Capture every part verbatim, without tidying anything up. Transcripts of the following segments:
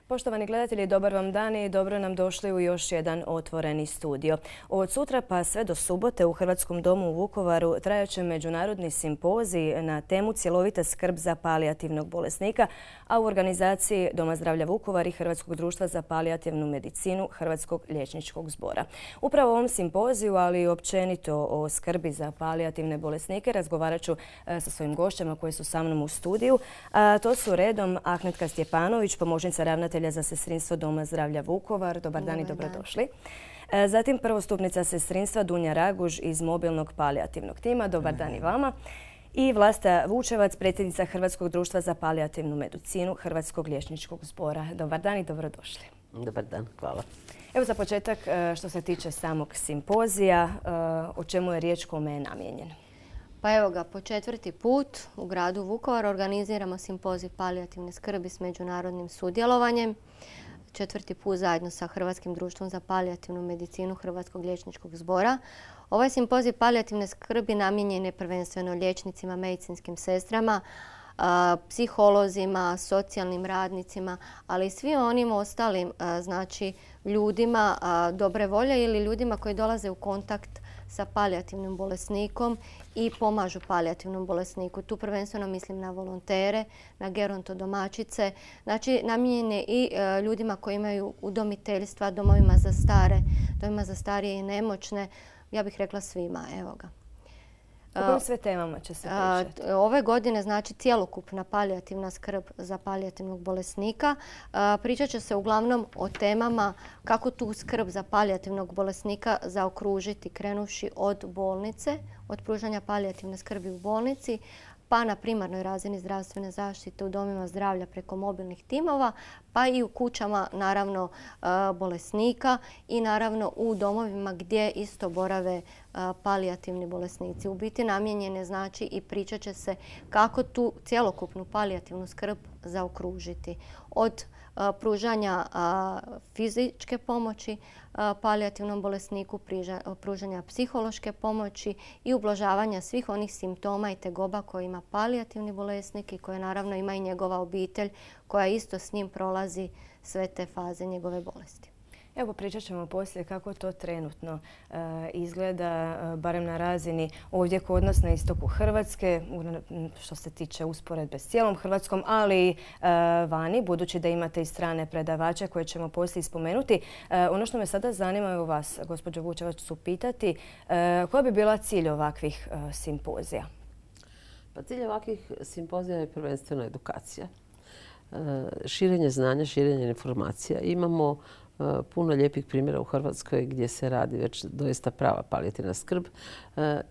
Poštovani gledatelji, dobar vam dan i dobro nam došli u još jedan otvoreni studio. Od sutra pa sve do subote u Hrvatskom domu u Vukovaru trajaće međunarodni simpozij na temu cjelovita skrb za palijativnog bolesnika, a u organizaciji Doma zdravlja Vukovar i Hrvatskog društva za palijativnu medicinu Hrvatskog liječničkog zbora. Upravo o ovom simpoziju, ali i općenito o skrbi za palijativne bolesnike, razgovarat ću sa svojim gošćama koji su sa mnom u studiju. A to su redom Ahmetka Stjepanović, pomoćnica ravnatelja za sestrinstvo Doma zdravlja Vukovar. Dobar dan i dobrodošli. Zatim prvostupnica sestrinstva Dunja Raguž iz mobilnog palijativnog tima. Dobar dan i vama. I Vlasta Vučevac, predsjednica Hrvatskog društva za palijativnu medicinu Hrvatskog liječničkog zbora. Dobar dan i dobrodošli. Dobar dan, hvala. Evo za početak, što se tiče samog simpozija, o čemu je riječ, kome je namijenjen? Pa evo ga, po četvrti put u gradu Vukovar organiziramo simpozij palijativne skrbi s međunarodnim sudjelovanjem. Četvrti put zajedno sa Hrvatskim društvom za palijativnu medicinu Hrvatskog liječničkog zbora. Ovaj simpozij palijativne skrbi namijenjen je prvenstveno liječnicima, medicinskim sestrama, psiholozima, socijalnim radnicima, ali i svim onim ostalim znači, ljudima dobre volje ili ljudima koji dolaze u kontakt sa palijativnim bolesnikom i pomažu palijativnom bolesniku. Tu prvenstveno mislim na volontere, na gerontodomaćice. Znači, namijenjen je i ljudima koji imaju udomiteljstva, domovima za stare, domovima za starije i nemoćne. Ja bih rekla svima, evo ga. O kojim sve temama će se pričati? Ove godine znači cjelokupna palijativna skrb za palijativnog bolesnika. Pričat će se uglavnom o temama kako tu skrb za palijativnog bolesnika zaokružiti, krenuvši od bolnice, od pružanja palijativne skrbi u bolnici, pa na primarnoj razini zdravstvene zaštite u domima zdravlja preko mobilnih timova, pa i u kućama naravno bolesnika i naravno u domovima gdje isto borave palijativni bolesnici. U biti namijenjene znači i pričat će se kako tu cjelokupnu palijativnu skrb zaokružiti. Od pružanja fizičke pomoći palijativnom bolesniku, pružanja psihološke pomoći i ublažavanja svih onih simptoma i tegoba koje ima palijativni bolesnik i koje naravno ima i njegova obitelj koja isto s njim prolazi sve te faze njegove bolesti. Evo, pričat ćemo poslije kako to trenutno e, izgleda, barem na razini ovdje kod nas na istoku Hrvatske, što se tiče usporedbe s cijelom Hrvatskom, ali i e, vani, budući da imate i strane predavače koje ćemo poslije spomenuti. E, ono što me sada zanima, evo vas, gospođo Vučevac, su pitati e, koja bi bila cilj ovakvih e, simpozija? Pa cilj ovakvih simpozija je prvenstveno edukacija. E, širenje znanja, širenje informacija. Imamo puno lijepih primjera u Hrvatskoj gdje se radi već doista prava palijativna skrb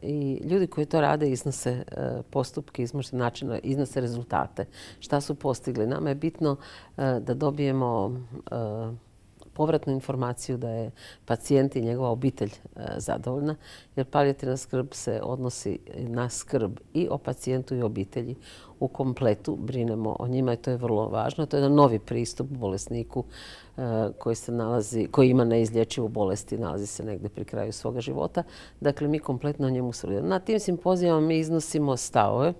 i ljudi koji to rade iznose postupke, iznose načine, iznose rezultate. Šta su postigli? Nama je bitno da dobijemo povratnu informaciju da je pacijent i njegova obitelj zadovoljna, jer palijativna skrb se odnosi na skrb i o pacijentu i obitelji. U kompletu brinemo o njima i to je vrlo važno. To je jedan novi pristup bolesniku koji se nalazi, koji ima neizlječivu bolest i nalazi se negdje pri kraju svoga života. Dakle, mi kompletno o njemu sudjelujemo. Na tim simpozijama mi iznosimo stavove,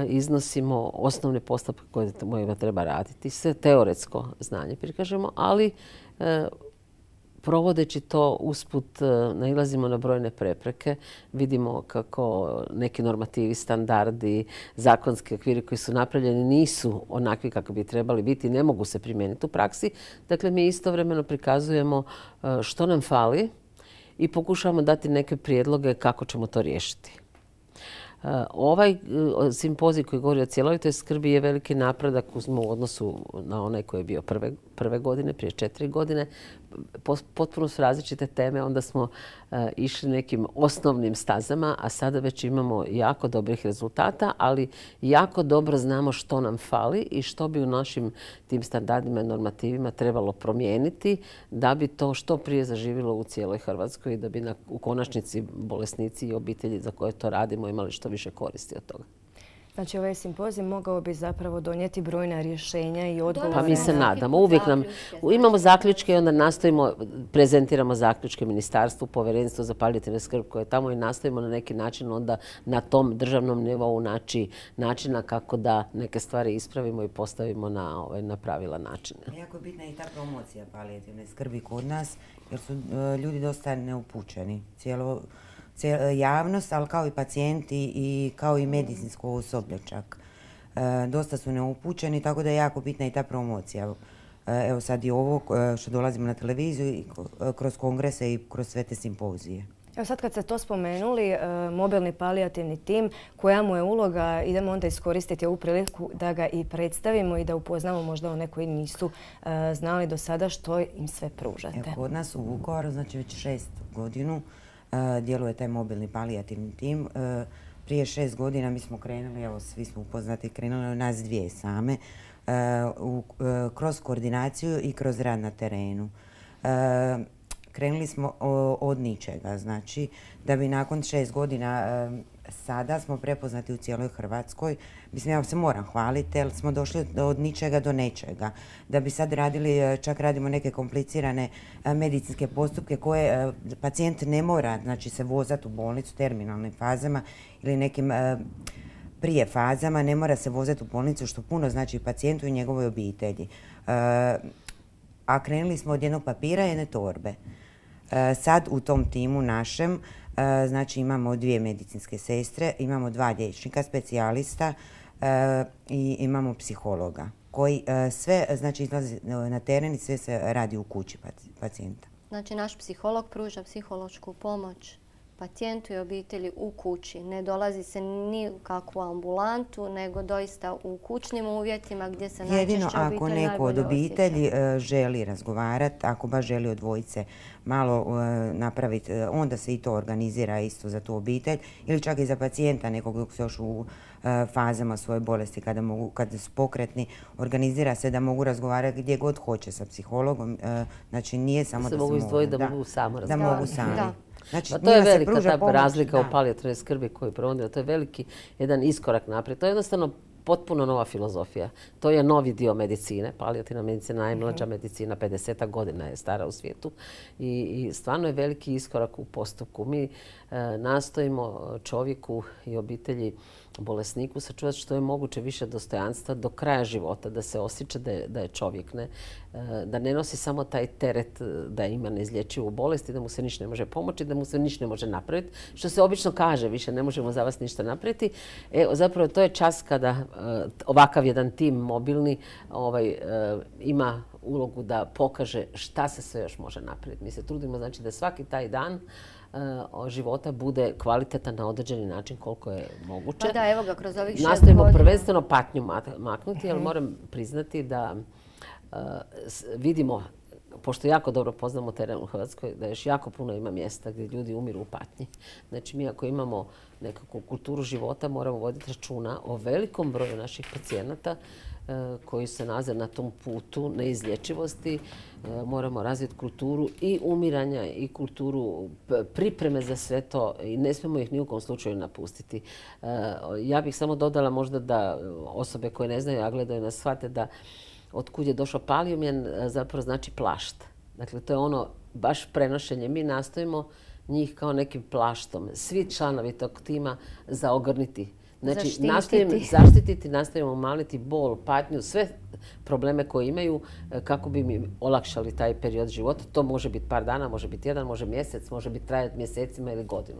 iznosimo osnovne postupke kojima treba raditi, sve teoretsko znanje prikažemo, ali provodeći to usput nailazimo na brojne prepreke. Vidimo kako neki normativi, standardi, zakonski okviri koji su napravljeni nisu onakvi kako bi trebali biti, ne mogu se primijeniti u praksi. Dakle, mi istovremeno prikazujemo što nam fali i pokušavamo dati neke prijedloge kako ćemo to riješiti. Ovaj simpozij koji govori o cjelovitoj skrbi je veliki napredak u odnosu na onaj koji je bio prve, prve godine, prije četiri godine. Potpuno su različite teme, onda smo išli nekim osnovnim stazama, a sada već imamo jako dobrih rezultata, ali jako dobro znamo što nam fali i što bi u našim tim standardima i normativima trebalo promijeniti da bi to što prije zaživjelo u cijeloj Hrvatskoj i da bi na, u konačnici bolesnici i obitelji za koje to radimo imali što više koristi od toga. Znači ovaj simpozij mogao bi zapravo donijeti brojna rješenja i odgovore. Pa mi se nadamo. Uvijek nam imamo zaključke i onda nastojimo, prezentiramo zaključke ministarstvu, povjerenstvu za palijativnu skrb koje je tamo i nastojimo na neki način onda na tom državnom nivou naći načina kako da neke stvari ispravimo i postavimo na, ovaj, na pravilan način. Jako je bitna i ta promocija palijativne skrbi kod nas jer su ljudi dosta neupućeni. Cijelo javnost, ali kao i pacijenti i kao i medicinsko osoblje čak. E, dosta su neupućeni, tako da je jako bitna i ta promocija. E, evo sad i ovo što dolazimo na televiziju i kroz kongrese i kroz sve te simpozije. Evo sad kad ste to spomenuli, e, mobilni palijativni tim, koja mu je uloga, idemo onda iskoristiti ovu priliku da ga i predstavimo i da upoznamo možda one koji nisu e, znali do sada što im sve pružate. Evo, kod nas u Vukovaru, znači već šest godinu, djeluje taj mobilni palijativni tim. Prije šest godina mi smo krenuli, evo svi smo upoznati, krenuli od nas dvije same, kroz koordinaciju i kroz rad na terenu. Krenuli smo od ničega, znači da bi nakon šest godina sada smo prepoznati u cijeloj Hrvatskoj. Mislim, ja se moram hvaliti, jer smo došli od ničega do nečega. Da bi sad radili, čak radimo neke komplicirane medicinske postupke koje pacijent ne mora, znači se vozati u bolnicu terminalnim fazama ili nekim prije fazama, ne mora se vozati u bolnicu, što puno znači pacijentu i njegovoj obitelji. A krenuli smo od jednog papira i jedne torbe. Sad u tom timu našem znači imamo dvije medicinske sestre, imamo dva liječnika, specijalista i imamo psihologa koji sve znači izlazi na teren i sve se radi u kući pacijenta. Znači naš psiholog pruža psihološku pomoć pacijentu i obitelji u kući. Ne dolazi se ni u kakvu ambulantu, nego doista u kućnim uvjetima gdje se najčešće obitelj najbolje osjeća. Jedino ako neko od obitelji želi razgovarati, ako baš želi od dvojice malo napraviti, onda se i to organizira isto za tu obitelj ili čak i za pacijenta nekog dok se još u fazama svoje bolesti kada, mogu, kada su pokretni, organizira se da mogu razgovarati gdje god hoće sa psihologom. Znači nije samo da, da se mogu izdvojiti, da, da mogu samo razgovarati. Da mogu sami. Da. Znači, pa to je velika ta pomoć, razlika da. U palijativnoj skrbi koju provodimo. To je veliki jedan iskorak naprijed. To je jednostavno potpuno nova filozofija. To je novi dio medicine. Palijativna medicina, najmlađa mm-hmm. medicina, pedeset godina je stara u svijetu. I, i stvarno je veliki iskorak u postupku. Mi e, nastojimo čovjeku i obitelji bolesniku sačuvati što je moguće više dostojanstva do kraja života, da se osjeća da je, da je čovjek, ne, da ne nosi samo taj teret da ima neizlječivu bolest i da mu se ništa ne može pomoći, da mu se ništa ne može napraviti, što se obično kaže, više ne možemo za vas ništa napraviti. E, zapravo to je čas kada uh, ovakav jedan tim mobilni ovaj, uh, ima ulogu da pokaže šta se sve još može napraviti. Mi se trudimo znači da svaki taj dan života bude kvalitetan na određeni način koliko je moguće. Pa da, evo ga, kroz ovih šest Nastojimo godina. prvenstveno patnju maknuti, ali moram priznati da uh, vidimo, pošto jako dobro poznamo teren u Hrvatskoj, da još jako puno ima mjesta gdje ljudi umiru u patnji. Znači mi ako imamo nekakvu kulturu života moramo voditi računa o velikom broju naših pacijenata koji se nalaze na tom putu neizlječivosti. Moramo razviti kulturu i umiranja i kulturu pripreme za sve to i ne smijemo ih ni u kom slučaju napustiti. Ja bih samo dodala možda da osobe koje ne znaju, a gledaju nas, shvate da otkud je došao palijumen zapravo znači plašt. Dakle, to je ono baš prenošenje. Mi nastojimo njih kao nekim plaštom, svi članovi tog tima zaogrniti. Znači, zaštititi. Nastojimo zaštititi, nastojimo umanjiti bol, patnju, sve probleme koje imaju kako bi mi olakšali taj period života. To može biti par dana, može biti jedan, može mjesec, može biti trajati mjesecima ili godinu.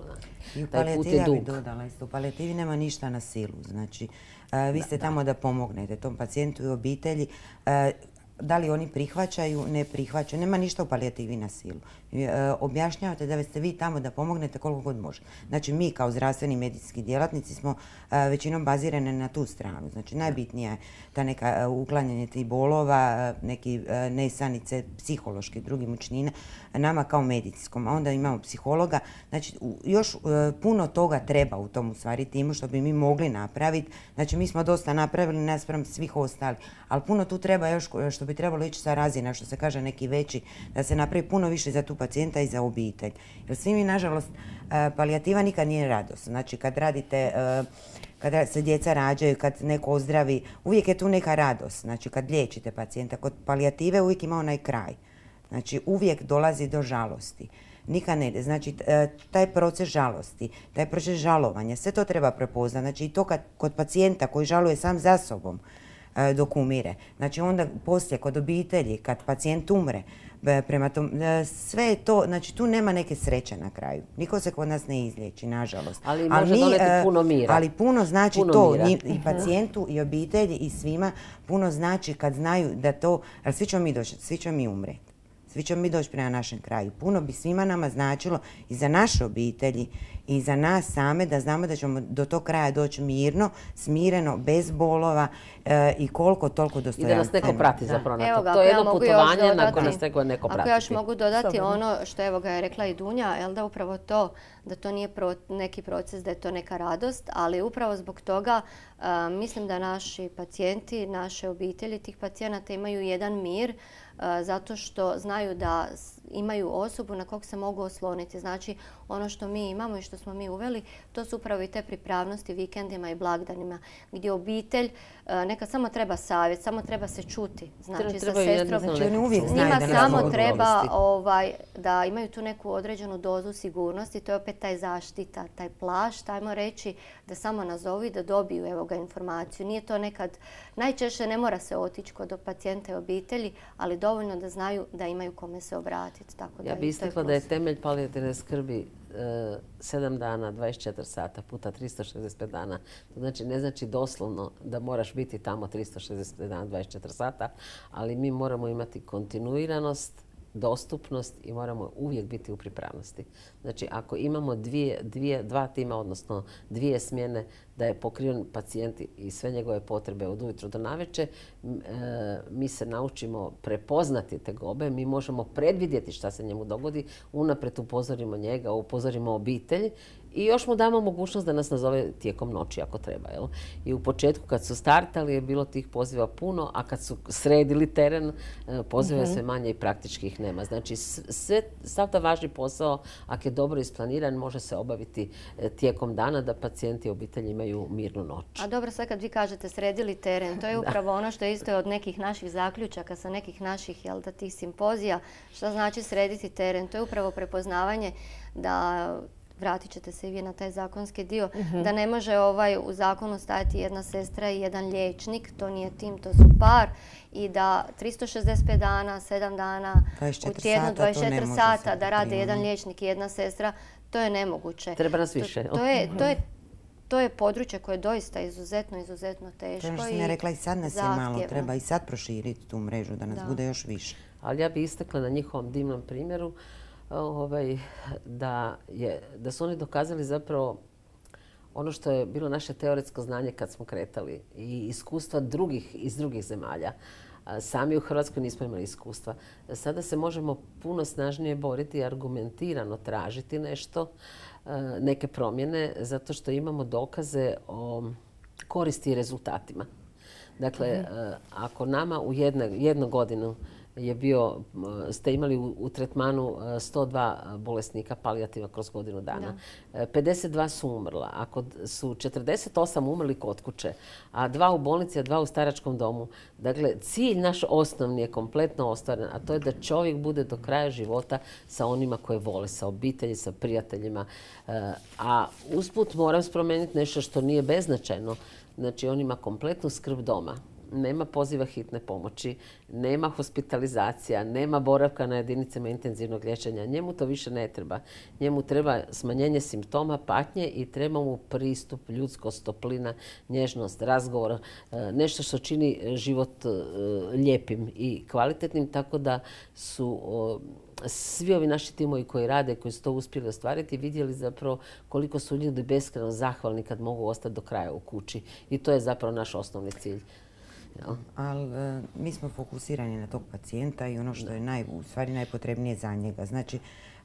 I u palijativi ja bih dodala isto. U palijativi nema ništa na silu. Znači, vi da, ste da. tamo da pomognete tom pacijentu i obitelji. Da li oni prihvaćaju, ne prihvaćaju. Nema ništa u palijativi na silu. E, objašnjavate da ste vi tamo da pomognete koliko god može. Znači mi kao zdravstveni medicinski djelatnici smo a, većinom bazirane na tu stranu. Znači najbitnija je ta neka uklanjanje tih bolova, neki a, nesanice, psihološki, drugi mučnine, nama kao medicinskom. A onda imamo psihologa. Znači još a, puno toga treba u tom u stvari timu što bi mi mogli napraviti. Znači mi smo dosta napravili naspram svih ostalih, ali puno tu treba još što bi trebalo ići sa razina, što se kaže neki veći, da se napravi puno više za tu pacijenta i za obitelj. Jer svi mi, nažalost, palijativa nikad nije radost. Znači, kad radite, kada se djeca rađaju, kad neko ozdravi, uvijek je tu neka radost. Znači kad liječite pacijenta, kod palijative uvijek ima onaj kraj. Znači uvijek dolazi do žalosti. Nikad ne, znači taj proces žalosti, taj proces žalovanja, sve to treba prepoznati. Znači i to kad, kod pacijenta koji žaluje sam za sobom dok umire. Znači onda poslije kod obitelji, kad pacijent umre, prema tom, sve je to, znači tu nema neke sreće na kraju. Niko se kod nas ne izliječi, nažalost. Ali može doneti puno mira. Ali puno znači to i pacijentu i obitelji i svima puno znači kad znaju da to, ali svi ćemo mi doći, svi ćemo mi umreti. Svi ćemo mi doći prema našem kraju. Puno bi svima nama značilo i za naše obitelji i za nas same da znamo da ćemo do tog kraja doći mirno, smireno, bez bolova e, i koliko toliko dostojanstveno. I da nas neko prati zapravo na to. Ga, to je jedno ja putovanje na koje nas neko, neko prati. Ako ja još mogu dodati Sobredno. ono što evo ga je rekla i Dunja, jel da upravo to, da to nije pro, neki proces, da je to neka radost, ali upravo zbog toga uh, mislim da naši pacijenti, naše obitelji tih pacijenata imaju jedan mir uh, zato što znaju da imaju osobu na kog se mogu osloniti. Znači ono što mi imamo i što smo mi uveli, to su upravo i te pripravnosti vikendima i blagdanima gdje obitelj neka samo treba savjet, samo treba se čuti. Znači sa sestrom, njima samo treba ovaj, da imaju tu neku određenu dozu sigurnosti. To je opet taj zaštita, taj plašt, ajmo reći, da samo nazovu i da dobiju evo ga informaciju. Nije to nekad, najčešće ne mora se otići kod pacijenta i obitelji, ali dovoljno da znaju da imaju kome se obratiti. Tako da ja bih istakla da je temelj palijativne skrbi sedam dana, dvadeset četiri sata puta tristo šezdeset pet dana. To znači ne znači doslovno da moraš biti tamo tristo šezdeset pet dana, dvadeset četiri sata, ali mi moramo imati kontinuiranost, dostupnost i moramo uvijek biti u pripravnosti. Znači ako imamo dvije, dvije, dva tima, odnosno dvije smjene da je pokriven pacijent i sve njegove potrebe od ujutro do navečer, mi se naučimo prepoznati tegobe, mi možemo predvidjeti šta se njemu dogodi, unaprijed upozorimo njega, upozorimo obitelj i još mu damo mogućnost da nas nazove tijekom noći ako treba. Jel? I u početku kad su startali je bilo tih poziva puno, a kad su sredili teren poziva sve manje i praktički ih nema. Znači sve, sav taj važni posao, ako je dobro isplaniran, može se obaviti tijekom dana da pacijenti i obitelji imaju mirnu noć. A dobro, sad kad vi kažete sredili teren, to je upravo ono što je isto od nekih naših zaključaka, sa nekih naših jel, da, tih simpozija. Što znači srediti teren? To je upravo prepoznavanje da vratit ćete se i vi na taj zakonski dio, uh-huh. da ne može ovaj u zakonu stajati jedna sestra i jedan liječnik, to nije tim, to su par, i da tristo šezdeset pet dana, sedam dana u tjednu, dvadeset četiri sata da rade jedan liječnik i jedna sestra, to je nemoguće. Treba nas više. To, to, je, to, je, to je područje koje je doista izuzetno, izuzetno teško. To je što sam ja rekla i sad nas je malo, treba i sad proširiti tu mrežu da nas da. bude još više. Ali ja bih istakla na njihovom divnom primjeru Ovaj, da, je, da su oni dokazali zapravo ono što je bilo naše teoretsko znanje kad smo kretali i iskustva drugih iz drugih zemalja. Sami u Hrvatskoj nismo imali iskustva. Sada se možemo puno snažnije boriti i argumentirano tražiti nešto, neke promjene, zato što imamo dokaze o koristi i rezultatima. Dakle, mm-hmm. ako nama u jedne, jednu godinu je bio, ste imali u, u tretmanu sto dva bolesnika palijativa kroz godinu dana. Da. pedeset dva su umrla. Ako su četrdeset osam umrli kod kuće, a dva u bolnici, a dva u staračkom domu. Dakle, cilj naš osnovni je kompletno ostvaren, a to je da čovjek bude do kraja života sa onima koje vole, sa obitelji, sa prijateljima. A usput moram spomenuti nešto što nije beznačajno. Znači, on ima kompletnu skrb doma. Nema poziva hitne pomoći, nema hospitalizacija, nema boravka na jedinicama intenzivnog liječenja. Njemu to više ne treba. Njemu treba smanjenje simptoma, patnje i treba mu pristup, ljudskost, toplina, nježnost, razgovor, nešto što čini život lijepim i kvalitetnim, tako da su svi ovi naši timovi koji rade, koji su to uspjeli ostvariti, vidjeli zapravo koliko su ljudi beskrajno zahvalni kad mogu ostati do kraja u kući. I to je zapravo naš osnovni cilj. Ja. Ali e, mi smo fokusirani na tog pacijenta i ono što je naj, u stvari najpotrebnije za njega. Znači,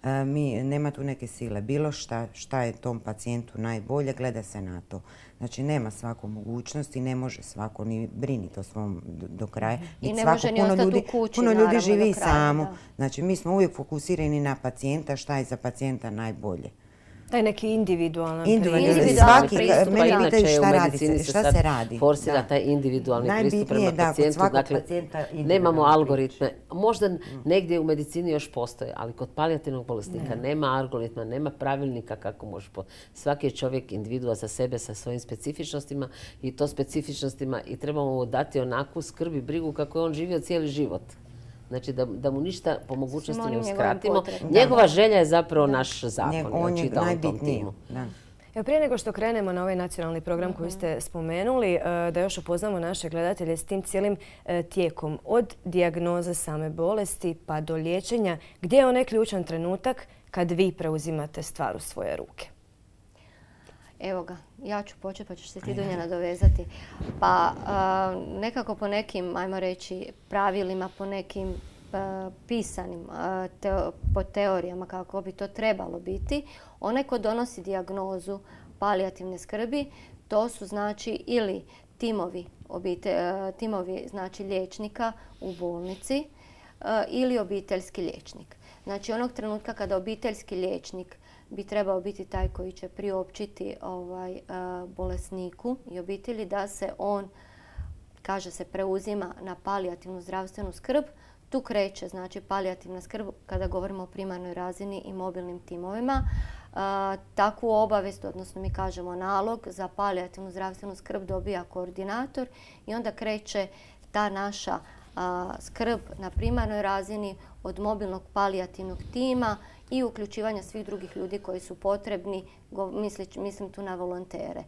e, mi, nema tu neke sile. Bilo šta, šta je tom pacijentu najbolje, gleda se na to. Znači, nema svako mogućnosti, ne može svako ni briniti o svom do, do kraja. I ne može ni ostati u kući, puno ljudi živi do kraja, samo. Da. Znači, mi smo uvijek fokusirani na pacijenta, šta je za pacijenta najbolje. Taj neki individualan Individualni svaki, pristup. Mene Inače pitaju u šta medicini radi, se šta sad se radi. forsira Da. taj individualni pristup Najbitnije prema je da kod pacijentu. svakog Dakle, pacijenta individualno nemamo prići. algoritme. Možda negdje u medicini još postoje, ali kod palijativnog bolesnika nema algoritma, nema pravilnika kako može. po- Svaki je čovjek individua za sebe sa svojim specifičnostima i to specifičnostima i trebamo mu dati onakvu skrb i brigu kako je on živio cijeli život. Znači da, da mu ništa po mogućnosti onim ne njegovim uskratimo. potrebama. Njegova želja je zapravo naš zakon. Njeg- ja On je čitam o tom najbitniji. timu. Da. Evo, prije nego što krenemo na ovaj nacionalni program koji ste spomenuli, e, da još upoznamo naše gledatelje s tim cijelim e, tijekom. Od dijagnoze same bolesti pa do liječenja, gdje je onaj ključan trenutak kad vi preuzimate stvar u svoje ruke? Evo ga, ja ću početi pa ćeš se ti Dunja nadovezati. Pa a, nekako po nekim, ajmo reći, pravilima, po nekim a, pisanim, a, teo- po teorijama kako bi to trebalo biti, onaj ko donosi dijagnozu palijativne skrbi, to su znači ili timovi, obite, a, timovi znači liječnika u bolnici a, ili obiteljski liječnik. Znači onog trenutka kada obiteljski liječnik bi trebao biti taj koji će priopćiti ovaj, a, bolesniku i obitelji da se on, kaže se, preuzima na palijativnu zdravstvenu skrb. Tu kreće znači palijativna skrb kada govorimo o primarnoj razini i mobilnim timovima. A, takvu obavijest, odnosno mi kažemo nalog za palijativnu zdravstvenu skrb dobija koordinator i onda kreće ta naša a, skrb na primarnoj razini od mobilnog palijativnog tima i uključivanja svih drugih ljudi koji su potrebni, go- misli- mislim tu na volontere.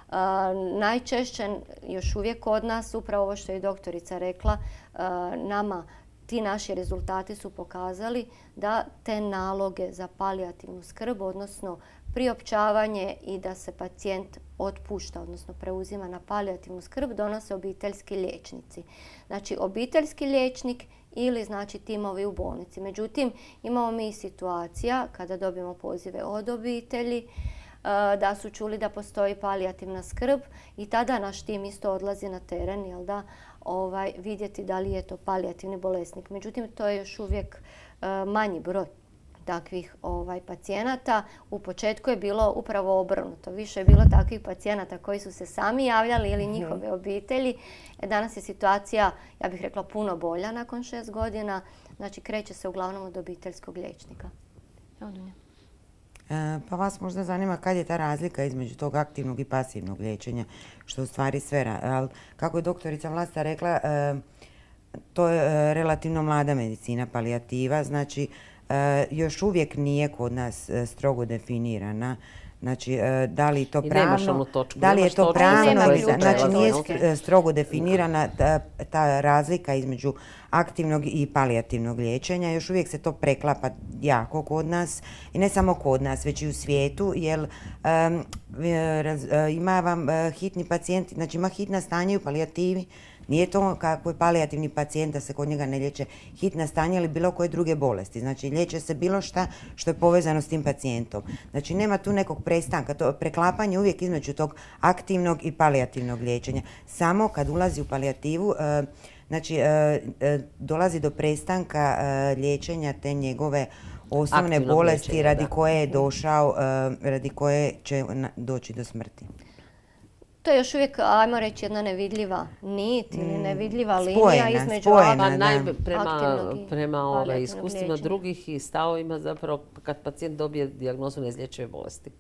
A, najčešće još uvijek kod nas, upravo ovo što je i doktorica rekla, a, nama ti naši rezultati su pokazali da te naloge za palijativnu skrb, odnosno priopćavanje i da se pacijent otpušta, odnosno preuzima na palijativnu skrb, donose obiteljski liječnici. Znači, obiteljski liječnik ili znači timovi u bolnici. Međutim, imamo mi i situacija kada dobijemo pozive od obitelji e, da su čuli da postoji palijativna skrb i tada naš tim isto odlazi na teren, jel da, ovaj, vidjeti da li je to palijativni bolesnik. Međutim, to je još uvijek e, manji broj takvih ovaj, pacijenata. U početku je bilo upravo obrnuto. Više je bilo takvih pacijenata koji su se sami javljali ili njihove obitelji. E, danas je situacija, ja bih rekla, puno bolja nakon šest godina. Znači, kreće se uglavnom od obiteljskog liječnika. Evo, Dunja. E, Pa vas možda zanima kad je ta razlika između tog aktivnog i pasivnog liječenja, što u stvari sve, ra- ali kako je doktorica Vlasta rekla, e, to je e, relativno mlada medicina, palijativa, znači e, još uvijek nije kod nas e, strogo definirana. Znači, e, da li je to I nemaš pravno, onu točku, da li je nemaš to točku pravno, na koju i- se znači prelazi, nije jel? str- e, strogo definirana ta, ta razlika između aktivnog i palijativnog liječenja. Još uvijek se to preklapa jako kod nas i ne samo kod nas, već i u svijetu, jer em, e, raz- e, ima vam e, hitni pacijenti, znači ima hitna stanja i u palijativi. Nije to kako je palijativni pacijent da se kod njega ne liječe hitna stanja ili bilo koje druge bolesti. Znači liječe se bilo šta što je povezano s tim pacijentom. Znači nema tu nekog prestanka, to preklapanje uvijek između tog aktivnog i palijativnog liječenja. Samo kad ulazi u palijativu, e, znači e, e, dolazi do prestanka e, liječenja te njegove osnovne Aktivnog bolesti liječenja, radi da. koje je došao, e, radi koje će na- doći do smrti. To je još uvijek, ajmo reći, jedna nevidljiva nit ili nevidljiva linija spojena, između spojena, Pa aktivnog- da. najbe, prema, aktivnog i prema ovaj, palijativnog iskustvima liječenja. drugih i stavovima zapravo kad pacijent dobije dijagnozu neizlječive bolesti.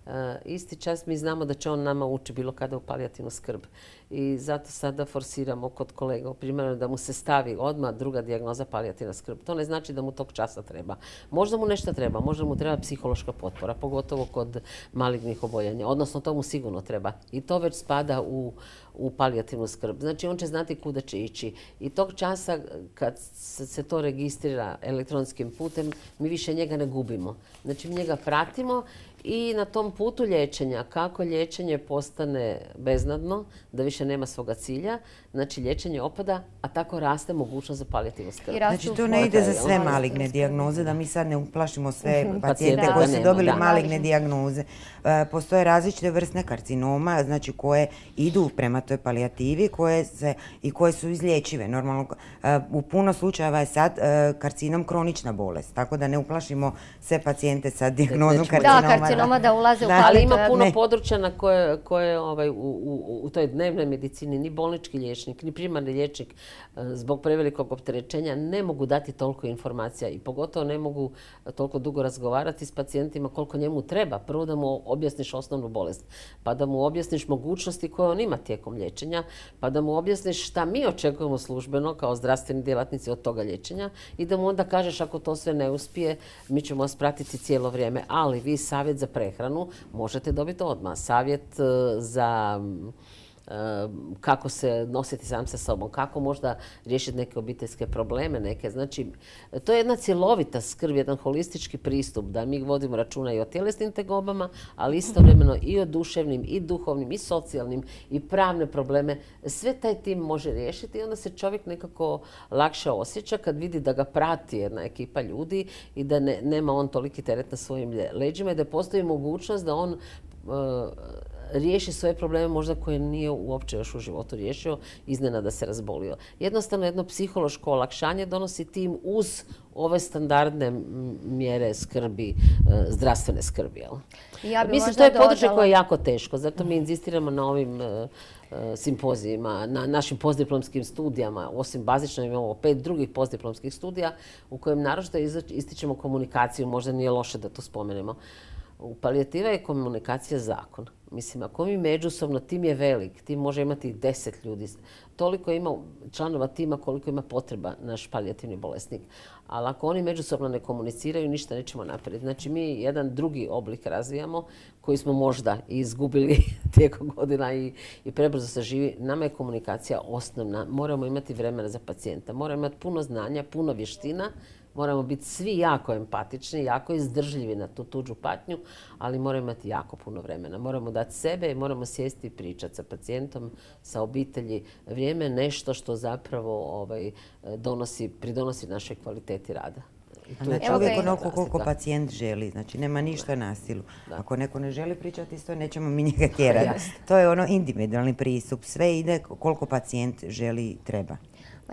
E, isti čas mi znamo da će on nama ući bilo kada u palijativnu skrb. I zato sada forsiramo kod kolega primjerno da mu se stavi odmah druga dijagnoza palijativna skrb. To ne znači da mu tog časa treba. Možda mu nešto treba, možda mu treba psihološka potpora, pogotovo kod malignih oboljanja. Odnosno to mu sigurno treba. I to već spada u, u palijativnu skrb. Znači on će znati kuda će ići. I tog časa kad se se to registrira elektronskim putem, mi više njega ne gubimo. Znači mi njega pratimo i na tom putu liječenja, kako liječenje postane beznadno, da više nema svoga cilja, znači liječenje opada, a tako raste mogućnost za palijativnu skrb. Znači to ne ide za sve maligne dijagnoze, da mi sad ne uplašimo sve pacijente koji su dobili maligne dijagnoze. Postoje različite vrste karcinoma, znači koje idu prema toj palijativi i koje su izlječive. Normalno, u puno slučajeva je sad karcinom kronična bolest, tako da ne uplašimo sve pacijente sa dijagnozom karcinoma. Da, karcinoma da ulaze u palijativnu. Ali ima puno područja na koje u toj dnevnoj medicini ni bolnički liječnik, ni primarni liječnik zbog prevelikog opterećenja ne mogu dati toliko informacija i pogotovo ne mogu toliko dugo razgovarati s pacijentima koliko njemu treba. Prvo da mu objasniš osnovnu bolest, pa da mu objasniš mogućnosti koje on ima tijekom liječenja, pa da mu objasniš šta mi očekujemo službeno kao zdravstveni djelatnici od toga liječenja i da mu onda kažeš ako to sve ne uspije, mi ćemo vas pratiti cijelo vrijeme. Ali vi savjet za prehranu možete dobiti odmah. Savjet za kako se nositi sam sa sobom, kako možda riješiti neke obiteljske probleme, neke. Znači, to je jedna cjelovita skrb, jedan holistički pristup da mi vodimo računa i o tjelesnim tegobama, ali istovremeno i o duševnim, i duhovnim, i socijalnim, i pravne probleme. Sve taj tim može riješiti i onda se čovjek nekako lakše osjeća kad vidi da ga prati jedna ekipa ljudi i da ne, nema on toliki teret na svojim leđima i da postoji mogućnost da on uh, riješi svoje probleme možda koje nije uopće još u životu riješio, iznenada se razbolio. Jednostavno jedno psihološko olakšanje donosi tim uz ove standardne mjere skrbi, zdravstvene skrbi. Ja Mislim, to je područje koje je jako teško, zato mi inzistiramo na ovim simpozijima, na našim postdiplomskim studijama. Osim bazično imamo pet drugih postdiplomskih studija u kojem naročito ističemo komunikaciju, možda nije loše da to spomenemo. U palijativa je komunikacija zakon. Mislim, ako mi međusobno, tim je velik, tim može imati deset ljudi. Toliko ima članova tima koliko ima potreba naš palijativni bolesnik. Ali ako oni međusobno ne komuniciraju, ništa nećemo napraviti. Znači, mi jedan drugi oblik razvijamo koji smo možda izgubili tijekom godina i, i prebrzo se živi. Nama je komunikacija osnovna. Moramo imati vremena za pacijenta. Moramo imati puno znanja, puno vještina. Moramo biti svi jako empatični, jako izdržljivi na tu tuđu patnju, ali moramo imati jako puno vremena. Moramo dati sebe i moramo sjesti i pričati sa pacijentom, sa obitelji. Vrijeme je nešto što zapravo ovaj, donosi, pridonosi našoj kvaliteti rada. Znači uvijek onoliko koliko pacijent želi, znači nema ništa na silu. Ako neko ne želi pričati isto, nećemo mi njega tjerati. To je ono individualni pristup, sve ide koliko pacijent želi i treba.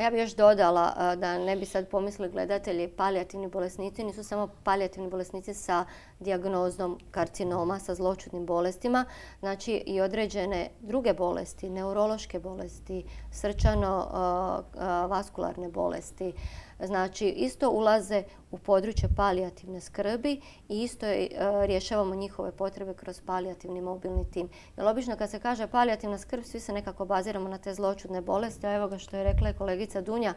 Ja bih još dodala da ne bi sad pomislili gledatelji, palijativni bolesnici nisu samo palijativni bolesnici sa dijagnozom karcinoma, sa zloćudnim bolestima, znači i određene druge bolesti, neurološke bolesti, srčano-vaskularne bolesti. Znači, isto ulaze u područje palijativne skrbi i isto rješavamo njihove potrebe kroz palijativni mobilni tim. Jer obično kad se kaže palijativna skrb, svi se nekako baziramo na te zloćudne bolesti, a evo ga što je rekla kolegica Dunja,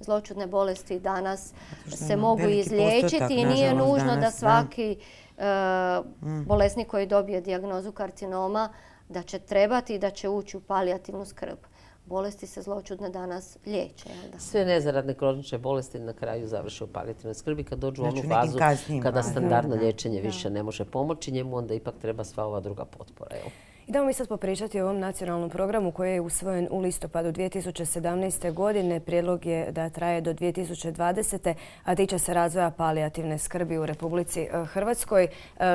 zloćudne bolesti danas se mogu izliječiti i nije nužno da svaki bolesnik koji dobije dijagnozu karcinoma da će trebati i da će ući u palijativnu skrb. Bolesti se zloćudne danas liječe. Sve nezaradne kronične bolesti na kraju završe u palijativnoj skrbi kad dođu u onu fazu kada standardno liječenje više ne može pomoći njemu, onda ipak treba sva ova druga potpora. Idemo mi sad popričati o ovom nacionalnom programu koji je usvojen u listopadu dvije tisuće sedamnaeste. godine. Prijedlog je da traje do dvije tisuće dvadesete. a tiče se razvoja palijativne skrbi u Republici Hrvatskoj.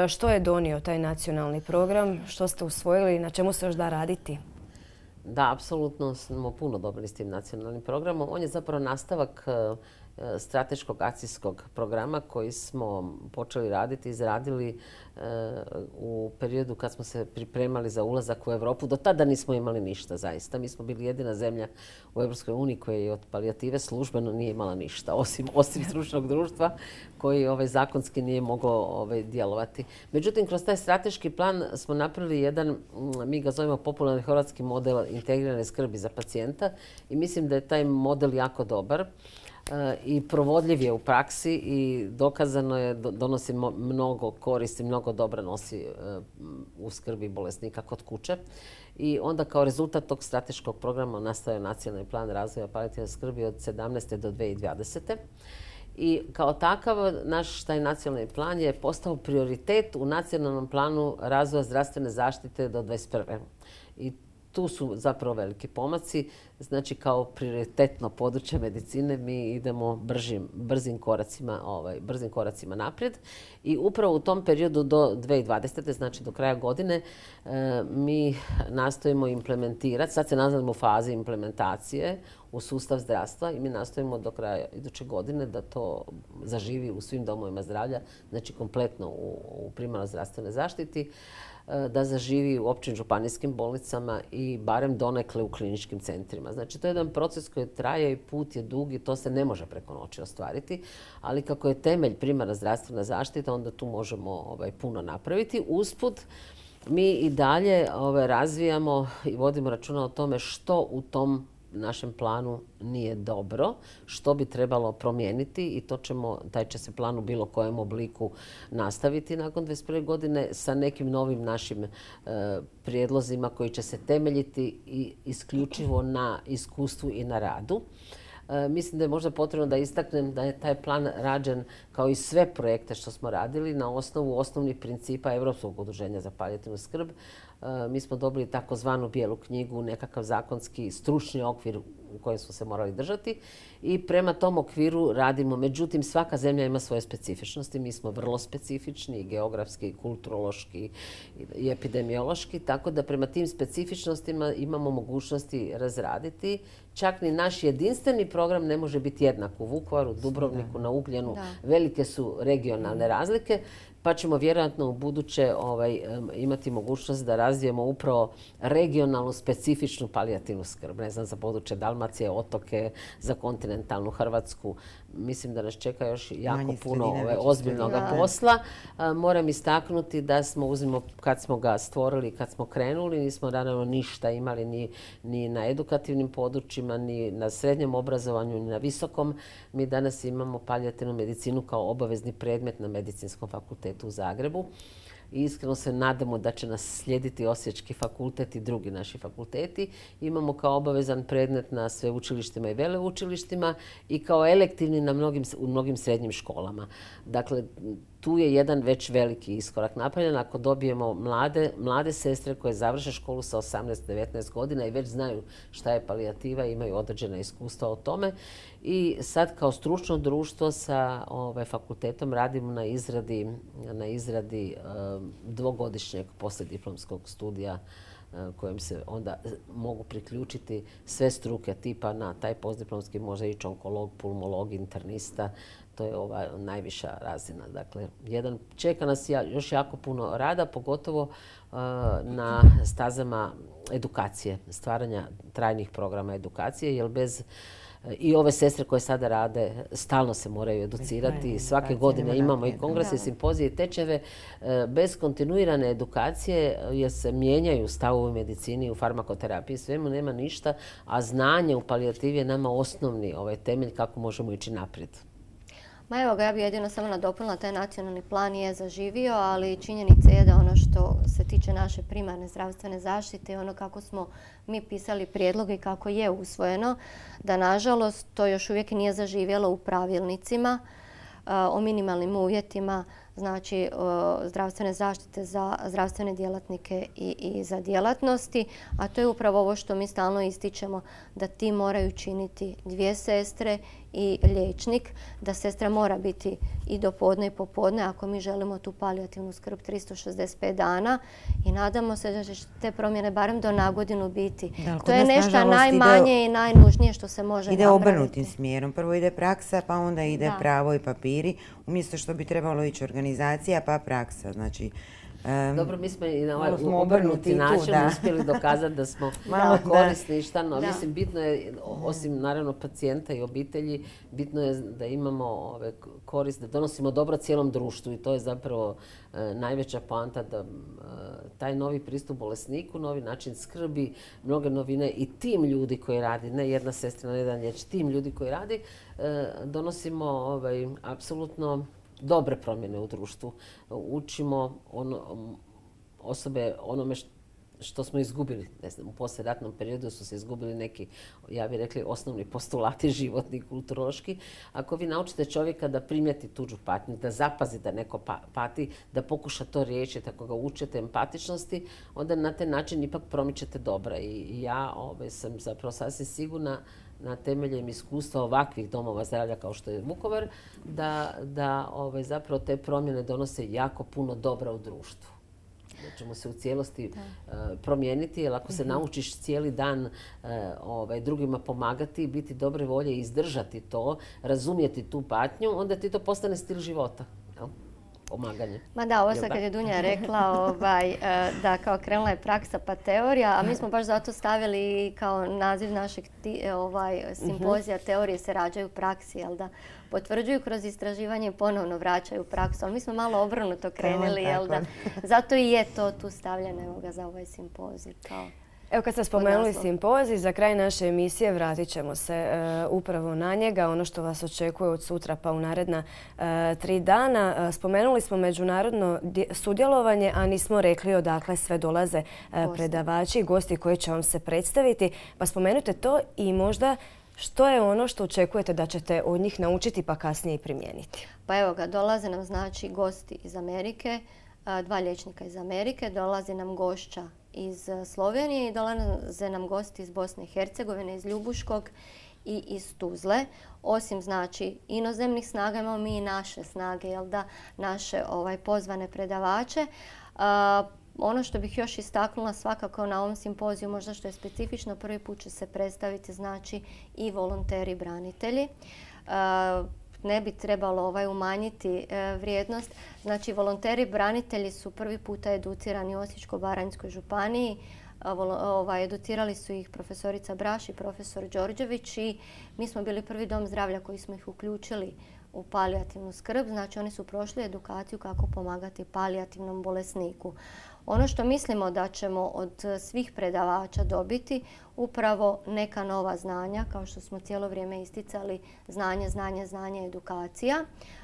Što je donio taj nacionalni program? Što ste usvojili? Na čemu se još da raditi? Da, apsolutno smo puno dobili s tim nacionalnim programom. On je zapravo nastavak strateškog akcijskog programa koji smo počeli raditi, izradili u periodu kad smo se pripremali za ulazak u Europu. Do tada nismo imali ništa, zaista. Mi smo bili jedina zemlja u Europskoj uniji koja je od palijative službeno nije imala ništa, osim, osim stručnog društva koji ovaj, zakonski nije mogao ovaj, djelovati. Međutim, kroz taj strateški plan smo napravili jedan, mi ga zovemo popularni hrvatski model integrirane skrbi za pacijenta i mislim da je taj model jako dobar i provodljiv je u praksi i dokazano je, donosi mnogo koristi, mnogo dobra nosi u skrbi bolesnika kod kuće. I onda kao rezultat tog strateškog programa nastao je nacionalni plan razvoja palijativne skrbi od sedamnaeste do dvije tisuće dvadesete. I kao takav naš taj nacionalni plan je postao prioritet u nacionalnom planu razvoja zdravstvene zaštite do dvadeset prve. I tu su zapravo veliki pomaci. Znači, kao prioritetno područje medicine mi idemo bržim, brzim, koracima, ovaj, brzim koracima naprijed. I upravo u tom periodu do dvije tisuće dvadesete. znači do kraja godine, e, mi nastojimo implementirati, sad se nalazimo u fazi implementacije u sustav zdravstva i mi nastojimo do kraja iduće godine da to zaživi u svim domovima zdravlja, znači kompletno u, u primarnoj zdravstvenoj zaštiti, da zaživi u općim županijskim bolnicama i barem donekle u kliničkim centrima. Znači, to je jedan proces koji traje i put je dug i to se ne može preko noći ostvariti, ali kako je temelj primarna zdravstvena zaštita, onda tu možemo ovaj, puno napraviti. Usput, mi i dalje ovaj, razvijamo i vodimo računa o tome što u tom našem planu nije dobro, što bi trebalo promijeniti i to ćemo, taj će se plan u bilo kojem obliku nastaviti nakon dvadeset prve. godine sa nekim novim našim e, prijedlozima koji će se temeljiti i isključivo na iskustvu i na radu. E, mislim da je možda potrebno da istaknem da je taj plan rađen kao i sve projekte što smo radili na osnovu osnovnih principa Europskog udruženja za palijativnu skrb. Mi smo dobili takozvanu bijelu knjigu, nekakav zakonski stručni okvir u kojem smo se morali držati i prema tom okviru radimo. Međutim, svaka zemlja ima svoje specifičnosti. Mi smo vrlo specifični i geografski, i kulturološki i epidemiološki, tako da prema tim specifičnostima imamo mogućnosti razraditi. Čak ni naš jedinstveni program ne može biti jednak u Vukovaru, Dubrovniku, na Ugljenu. Velike su regionalne razlike. Pa ćemo vjerojatno u buduće ovaj, imati mogućnost da razvijemo upravo regionalnu specifičnu palijativnu skrb. Ne znam, za područje Dalmacije, otoke, za kontinentalnu Hrvatsku. Mislim da nas čeka još jako Manje puno ovaj, ozbiljnog posla. A, moram istaknuti da smo, uzmimo, kad smo ga stvorili, kad smo krenuli, nismo naravno ništa imali ni, ni na edukativnim područjima, ni na srednjem obrazovanju, ni na visokom. Mi danas imamo palijativnu medicinu kao obavezni predmet na Medicinskom fakultetu u Zagrebu. I iskreno se nadamo da će nas slijediti Osječki fakultet i drugi naši fakulteti. Imamo kao obavezan predmet na sveučilištima i veleučilištima i kao elektivni na mnogim, u mnogim srednjim školama. Dakle, tu je jedan već veliki iskorak napravljen. Ako dobijemo mlade, mlade sestre koje završe školu sa osamnaest devetnaest godina i već znaju šta je palijativa, imaju određena iskustva o tome. I sad kao stručno društvo sa ovaj, fakultetom radimo na izradi, na izradi um, dvogodišnjeg poslijediplomskog studija kojem se onda mogu priključiti sve struke tipa na taj postdiplomski može ići onkolog, pulmolog, internista. To je ova najviša razina. Dakle, jedan, čeka nas još jako puno rada, pogotovo uh, na stazama edukacije, stvaranja trajnih programa edukacije, jer bez i ove sestre koje sada rade stalno se moraju educirati. Svake godine imamo i kongrese, simpozije i tečajeve. Bez kontinuirane edukacije jer se mijenjaju stavovi u medicini, u farmakoterapiji, svemu nema ništa, a znanje u palijativi je nama osnovni ovaj temelj kako možemo ići naprijed. Ma evo ga, ja bih jedino samo nadopunila, taj nacionalni plan je zaživio, ali činjenica je da ono što se tiče naše primarne zdravstvene zaštite i ono kako smo mi pisali prijedloge i kako je usvojeno, da nažalost to još uvijek nije zaživjelo u pravilnicima o minimalnim uvjetima, znači zdravstvene zaštite za zdravstvene djelatnike i, i za djelatnosti, a to je upravo ovo što mi stalno ističemo, da ti moraju činiti dvije sestre i liječnik, da sestra mora biti i do podne i popodne ako mi želimo tu palijativnu skrb tristo šezdeset pet dana i nadamo se da će te promjene barem do nagodinu biti. Da, to je nešto najmanje ide, i najnužnije što se može ide napraviti. Ide obrnutim smjerom. Prvo ide praksa, pa onda ide da. pravo i papiri, umjesto što bi trebalo ići organizacija, pa praksa. Znači, Um, Dobro, mi smo i na ovaj obrnuti način uspjeli dokazati da smo malo korisni. Šta, no, mislim, bitno je, osim naravno pacijenta i obitelji, bitno je da imamo ove korist, da donosimo dobro cijelom društvu i to je zapravo e, najveća poanta da e, taj novi pristup bolesniku, novi način skrbi, mnoge novine i tim ljudi koji radi, ne jedna sestra, ne jedan liječnik, tim ljudi koji radi, e, donosimo ovaj, apsolutno dobre promjene u društvu. Učimo ono, osobe onome što smo izgubili, ne znam, u poslijeratnom periodu su se izgubili neki, ja bih rekli, osnovni postulati životni, kulturološki. Ako vi naučite čovjeka da primijeti tuđu patnju, da zapazi da neko pati, da pokuša to riješiti, ako ga učite empatičnosti, onda na taj način ipak promičete dobra. I ja ovaj, sam zapravo sasvim sigurna na temeljem iskustva ovakvih domova zdravlja kao što je Vukovar, da, da ovaj, zapravo te promjene donose jako puno dobra u društvu. Da ćemo se u cijelosti uh, promijeniti, jer ako se naučiš cijeli dan uh, ovaj, drugima pomagati, biti dobre volje i izdržati to, razumjeti tu patnju, onda ti to postane stil života. Jel? Pomaganje. Ma da, ovo sad kad je Dunja rekla ovaj, da kao krenula je praksa pa teorija, a mi smo baš zato stavili kao naziv našeg ti, ovaj, simpozija teorije se rađaju u praksi, jel da? Potvrđuju kroz istraživanje i ponovno vraćaju u praksu, ali mi smo malo obrnuto krenuli, jel da? Zato i je to tu stavljeno evo ga, za ovaj simpozij. Kao Evo kad ste spomenuli simpozij, za kraj naše emisije vratit ćemo se e, upravo na njega, ono što vas očekuje od sutra pa u naredna e, tri dana. E, spomenuli smo međunarodno sudjelovanje, a nismo rekli odakle sve dolaze e, predavači i gosti koji će vam se predstaviti. Pa spomenute to i možda što je ono što očekujete da ćete od njih naučiti pa kasnije i primijeniti? Pa evo ga, dolaze nam znači gosti iz Amerike, dva liječnika iz Amerike, dolazi nam gošća iz Slovenije i dolaze nam gosti iz Bosne i Hercegovine, iz Ljubuškog i iz Tuzle. Osim znači inozemnih snaga imamo mi i naše snage, jel da, naše ovaj, pozvane predavače. A, ono što bih još istaknula svakako na ovom simpoziju, možda što je specifično, prvi put će se predstaviti znači i volonteri branitelji. A, ne bi trebalo ovaj, umanjiti e, vrijednost. Znači, volonteri branitelji su prvi puta educirani u Osječko-baranjskoj županiji. Ovaj, educirali su ih profesorica Braš i profesor Đorđević i mi smo bili prvi dom zdravlja koji smo ih uključili u palijativnu skrb. Znači, oni su prošli edukaciju kako pomagati palijativnom bolesniku. Ono što mislimo da ćemo od svih predavača dobiti upravo neka nova znanja, kao što smo cijelo vrijeme isticali, znanje, znanje, znanje, edukacija,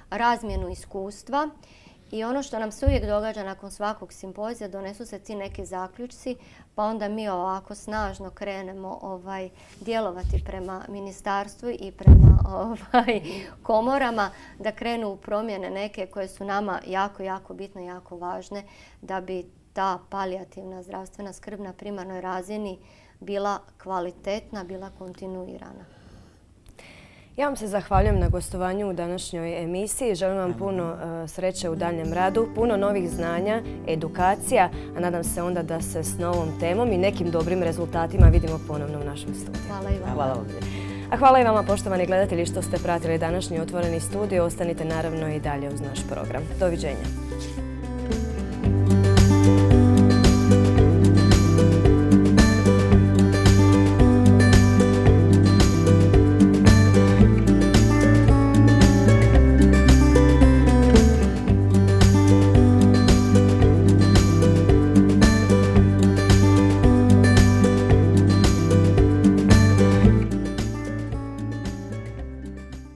razmjenu iskustva. I ono što nam se uvijek događa nakon svakog simpozija, donesu se ti neki zaključci, pa onda mi ovako snažno krenemo ovaj, djelovati prema ministarstvu i prema ovaj, komorama, da krenu u promjene neke koje su nama jako, jako bitne, jako važne, da bi ta palijativna zdravstvena skrb na primarnoj razini bila kvalitetna, bila kontinuirana. Ja vam se zahvaljujem na gostovanju u današnjoj emisiji. Želim vam puno uh, sreće u daljem radu, puno novih znanja, edukacija, a nadam se onda da se s novom temom i nekim dobrim rezultatima vidimo ponovno u našem studiju. Hvala i vama. Hvala vam. A hvala i vama, poštovani gledatelji, što ste pratili današnji Otvoreni studio. Ostanite naravno i dalje uz naš program. Doviđenja.